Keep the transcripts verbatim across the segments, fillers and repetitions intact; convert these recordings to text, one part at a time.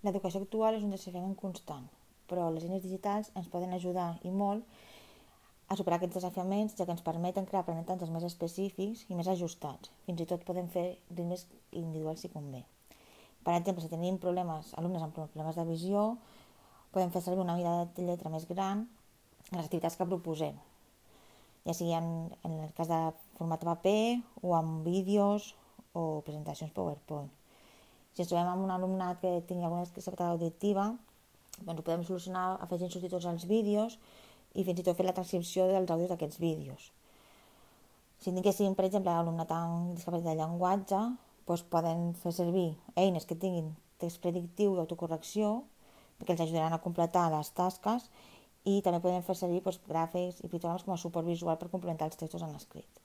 L'educació actual és un desafiament constant, però les eines digitals ens poden ajudar i molt a superar aquests desafiaments, ja que ens permeten crear aprenentatges més específics i més ajustats. Fins i tot podem fer ritmes individuals si convé. Per exemple, si tenim problemes, alumnes amb problemes de visió, podem fer servir una mida de lletra més gran en les activitats que proposem, ja sigui en, en el cas de format paper o amb vídeos o presentacions PowerPoint. Si ens trobem amb un alumnat que tingui alguna discapacitat auditiva, doncs ho podem solucionar afegint subtítols als vídeos i fins i tot fer la transcripció dels àudios d'aquests vídeos. Si tinguéssim, per exemple, alumnat amb discapacitat de llenguatge, doncs poden fer servir eines que tinguin text predictiu i autocorrecció, que els ajudaran a completar les tasques, i també podem fer servir doncs, gràfics i pictogrames com a suport visual per complementar els textos en escrit.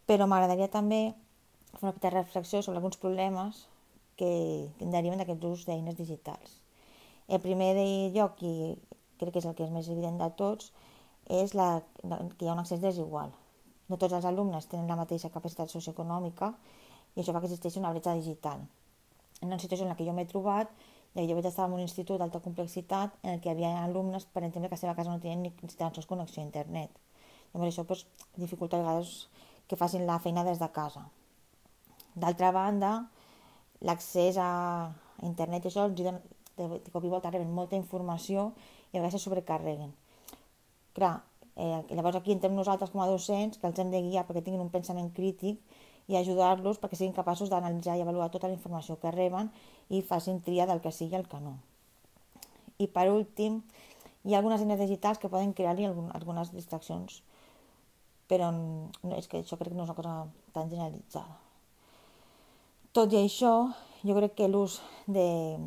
Però m'agradaria també fer una petita reflexió sobre alguns problemes que deriven d'aquest ús d'eines digitals. El primer de lloc, i crec que és el que és més evident de tots, és la, que hi ha un accés desigual. No tots els alumnes tenen la mateixa capacitat socioeconòmica i això fa que existeixi una bretxa digital. En una situació en la que jo m'he trobat, ja que jo vaig estar en un institut d'alta complexitat en què hi havia alumnes, per exemple, que a la seva casa no tenien ni tan sols connexió a internet. Llavors això doncs, dificulta a vegades que facin la feina des de casa. D'altra banda, l'accés a internet i això els dona, de cop i volta reben molta informació i a vegades se sobrecarreguen. Clar, eh, llavors aquí entrem nosaltres com a docents que els hem de guiar perquè tinguin un pensament crític i ajudar-los perquè siguin capaços d'analitzar i avaluar tota la informació que reben i facin tria del que sí i el que no. I per últim, hi ha algunes eines digitals que poden crear-hi algunes distraccions, però no, és que això crec que no és una cosa tan generalitzada. Tot i això, jo crec que l'ús de,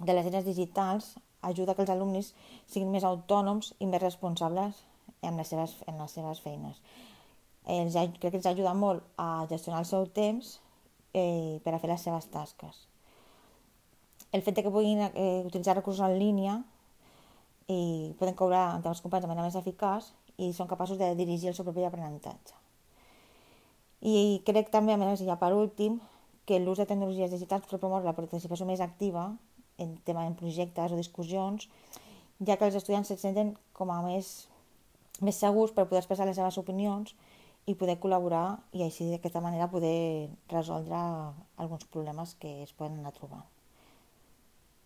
de les eines digitals ajuda que els alumnes siguin més autònoms i més responsables en les seves, en les seves feines. Els, crec que els ajuda molt a gestionar el seu temps eh, per a fer les seves tasques. El fet que puguin eh, utilitzar recursos en línia i poden cobrar entre els companys de manera més eficaç i són capaços de dirigir el seu propi aprenentatge. I crec també, a més, ja per últim, que l'ús de tecnologies digitals pot promoure la participació més activa en tema en projectes o discussions, ja que els estudiants se senten com a més, més segurs per poder expressar les seves opinions i poder col·laborar i així d'aquesta manera poder resoldre alguns problemes que es poden anar trobant.